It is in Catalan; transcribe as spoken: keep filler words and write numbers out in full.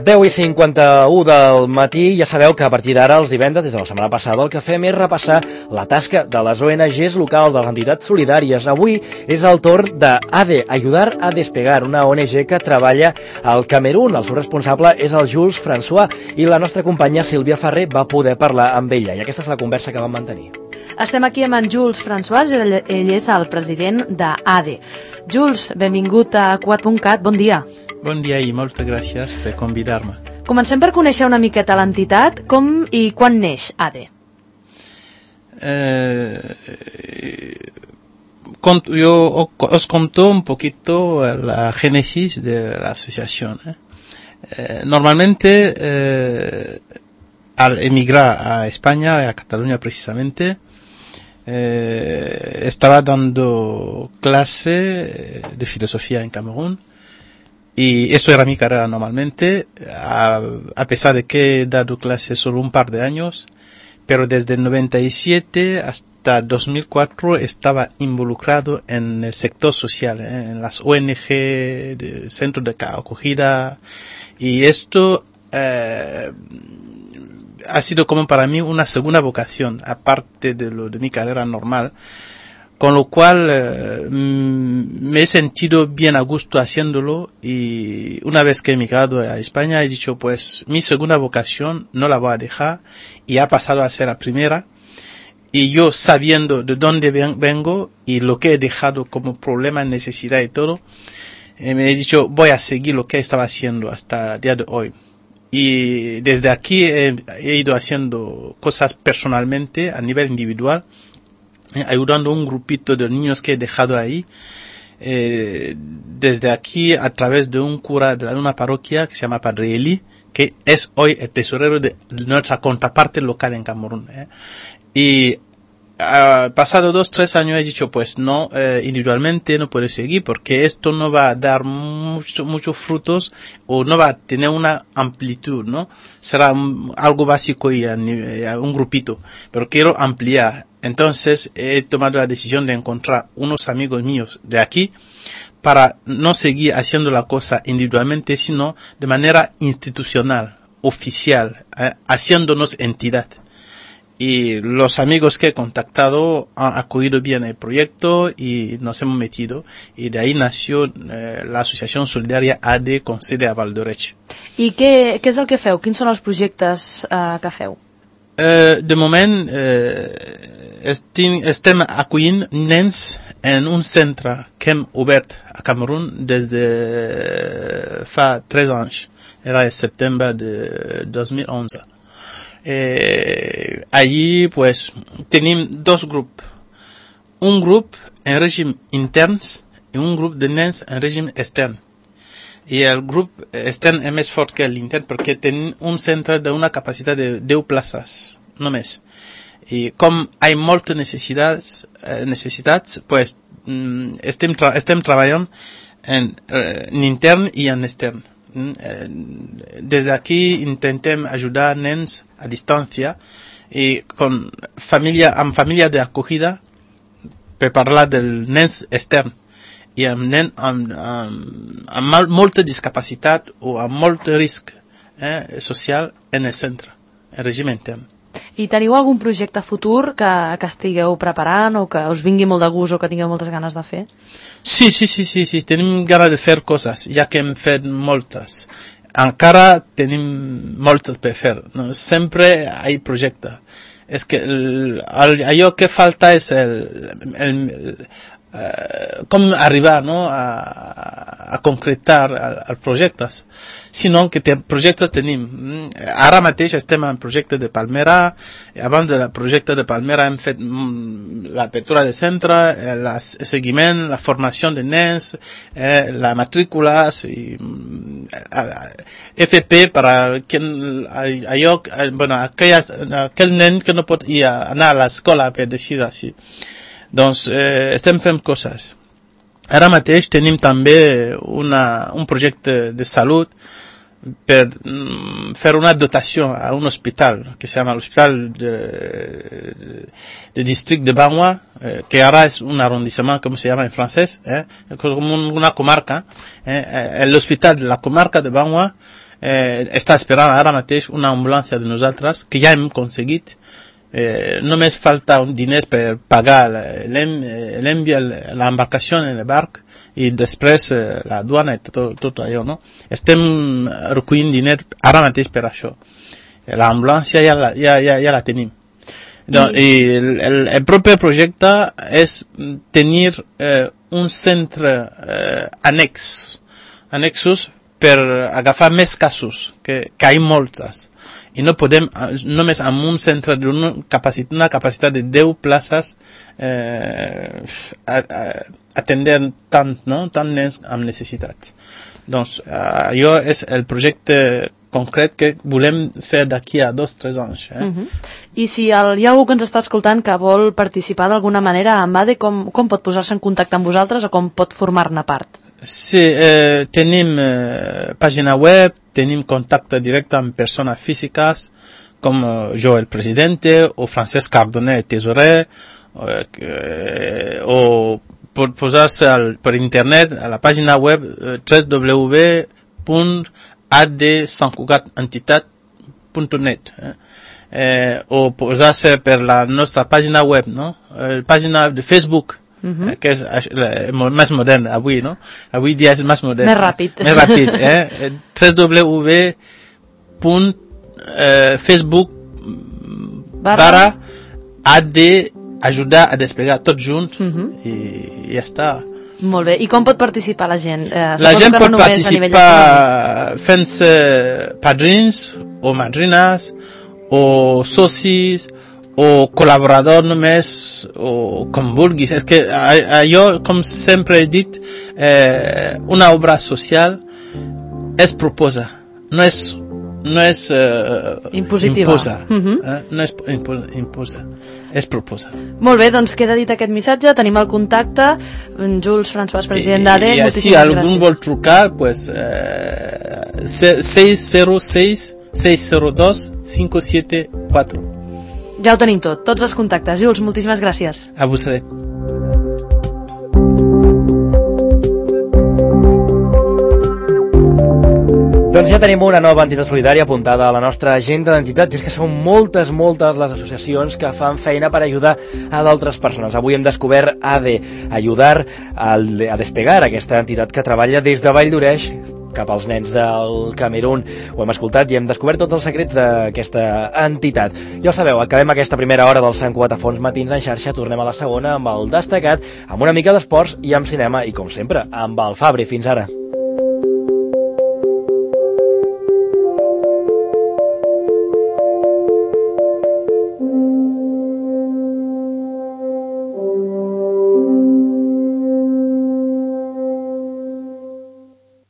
deu i cinquanta-u del matí, ja sabeu que a partir d'ara, els divendres, des de la setmana passada, el que fem és repassar la tasca de les O N Ges locals, de les entitats solidàries. Avui és el torn d'ADE, Ayudar a Despegar, una O N G que treballa al Camerún. El seu responsable és el Jules François i la nostra companya Sílvia Ferrer va poder parlar amb ella, i aquesta és la conversa que vam mantenir. Estem aquí amb en Jules François, ell, ell és el president d'ADE. Jules, benvingut a Quat punt cat, bon dia. Bon dia i moltes gràcies per convidar-me. Comencem per conèixer una miqueta l'entitat, com i quan neix ADE. Eh, yo os conto un poquito la génesis de la asociación. ¿eh? Eh, normalmente, eh, al emigrar a España, a Cataluña precisamente, eh, estaba dando clase de filosofía en Camerún. Y esto era mi carrera normalmente, a, a pesar de que he dado clases solo un par de años, pero desde el noventa y siete hasta dos mil cuatro estaba involucrado en el sector social, ¿eh? En las O N G, de centros de acogida, y esto eh, ha sido como para mí una segunda vocación, aparte de lo de mi carrera normal. Con lo cual eh, me he sentido bien a gusto haciéndolo, y una vez que he emigrado a España he dicho, pues mi segunda vocación no la voy a dejar, y ha pasado a ser la primera. Y yo, sabiendo de dónde vengo y lo que he dejado como problema, necesidad y todo, eh, me he dicho, voy a seguir lo que estaba haciendo hasta el día de hoy. Y desde aquí he, he ido haciendo cosas personalmente a nivel individual, ayudando a un grupito de niños que he dejado ahí, eh, desde aquí a través de un cura de una parroquia que se llama Padre Eli, que es hoy el tesorero de nuestra contraparte local en Camerún. ¿eh? Y uh, pasado dos, tres años he dicho, pues no, eh, individualmente no puedo seguir, porque esto no va a dar mucho, muchos frutos, o no va a tener una amplitud, ¿no? Será un, algo básico y a, a un grupito, pero quiero ampliar. Entonces he tomado la decisión de encontrar unos amigos míos de aquí para no seguir haciendo la cosa individualmente, sino de manera institucional, oficial, eh, haciéndonos entidad. Y los amigos que he contactado han acogido bien el proyecto y nos hemos metido, y de ahí nació eh, la Asociación Solidaria ADE con sede a Valldoreix. I què, què és el que feu? Quins són els projectes eh, que feu? Eh, de moment eh, estem, estem acollint nens en un centre que hem obert a Camerún des de fa tres anys. Era el setembre de dos mil onze. Eh, allí pues tenim dos grups. Un grup en règim interns i un grup de nens en règim extern. I el grup extern és més fort que l'intern perquè tenim un centre d'una capacitat de deu places, només. I com hi ha moltes necessitats, eh, necessitats pues, mm, estem, tra estem treballant en, eh, en intern i en extern. Mm, eh, des d'aquí intentem ajudar nens a distància i con família, amb família d'acogida per parlar del nens extern. I amb nen amb, amb, amb molta discapacitat o amb molt risc eh, social en el centre, en règim intern. I teniu algun projecte futur que, que estigueu preparant o que us vingui molt de gust o que tingueu moltes ganes de fer? Sí, sí, sí, sí, sí. Tenim ganes de fer coses, ja que hem fet moltes. Encara tenim moltes per fer. No? Sempre hi ha projecte. És que el, el, allò que falta és el, el, el Uh, com arribar no, a, a concretar els projectes, sinó que ten, projectes tenim. Ara mateix estem en projecte de Palmera. Abans del projecte de Palmera hem fet mm, l'apertura de centre, el seguiment, la formació de nens, eh, la matrícula, i, eh, F P per a allò, bueno, aquelles, aquell nen que no pot ir a, anar a l'escola, per dir-ho així. Doncs eh, estem fent coses. Ara mateix tenim també una, un projecte de salut per mm, fer una dotació a un hospital que se llama l'hospital de, de, de district de Banwa, eh, que ara es un arrondissement, como se llama en francés, eh, como una comarca. Eh, el hospital de la comarca de Banwa eh, està esperant ara mateix una ambulància de nosaltres, que ja hem aconseguit. Eh, només falta un diners per pagar l'envi, l'embarcació en el barc i després eh, la duana i tot, tot allò, no? Estem recollint diners ara mateix per això. L'ambulància ja, la, ja, ja, ja la tenim. Donc, I el, el, el proper projecte és tenir eh, un centre eh, annex, annexos per agafar més casos, que, que hi ha moltes. I no podem, només amb un centre d'una capacitat, una capacitat de deu places eh, a, a, atendre tant, no? tant nens amb necessitats. Doncs allò és el projecte concret que volem fer d'aquí a dos o tres anys. Eh? Uh -huh. I si el, hi ha algú que ens està escoltant que vol participar d'alguna manera amb A D E, com, com pot posar-se en contacte amb vosaltres o com pot formar-ne part? Sí, eh, tenim eh, pàgina web, tenim contacte directe amb persones físiques com eh, jo, el presidente, o Francesc Cardoner, el tesorer, eh, o pot posar-se per internet a la pàgina web eh, w w w punt a d sant cugat entitat punt net eh? Eh, o posar-se per la nostra pàgina web, no? La pàgina de Facebook, Uh-huh. que és eh, més modern avui, no? Avui dia és més modern. Més ràpid. Més ràpid, eh? w w w punt facebook barra A D ajudar a desplegar tot junt uh-huh. i, i ja està. Molt bé. I com pot participar la gent? Eh, la gent pot no participar fent-se padrins o madrines o socis o col·laborador només, o com vulguis. És que allò, com sempre he dit, eh, una obra social es proposa, no és, no és eh, impositiva. Imposa, uh-huh. eh? No és imposa, imposa, és proposa. Molt bé, doncs queda dit aquest missatge, tenim el contacte, Jules François, president d'A D E. I, i si algú vol trucar, pues, eh, seis cero seis, seis cero dos, cinco siete cuatro. Ja ho tenim tot, tots els contactes. Jules, moltíssimes gràcies. A vosaltres. Doncs ja tenim una nova entitat solidària apuntada a la nostra agenda d'entitats, i és que són moltes, moltes les associacions que fan feina per ajudar a d'altres persones. Avui hem descobert A D E, ajudar a despegar, aquesta entitat que treballa des de Vall d'Oreix cap als nens del Camerún. Ho hem escoltat i hem descobert tots els secrets d'aquesta entitat. Ja ho sabeu, acabem aquesta primera hora dels Sant Cugat a Fons Matins en xarxa, tornem a la segona amb el destacat, amb una mica d'esports i amb cinema i, com sempre, amb el Fabri. Fins ara.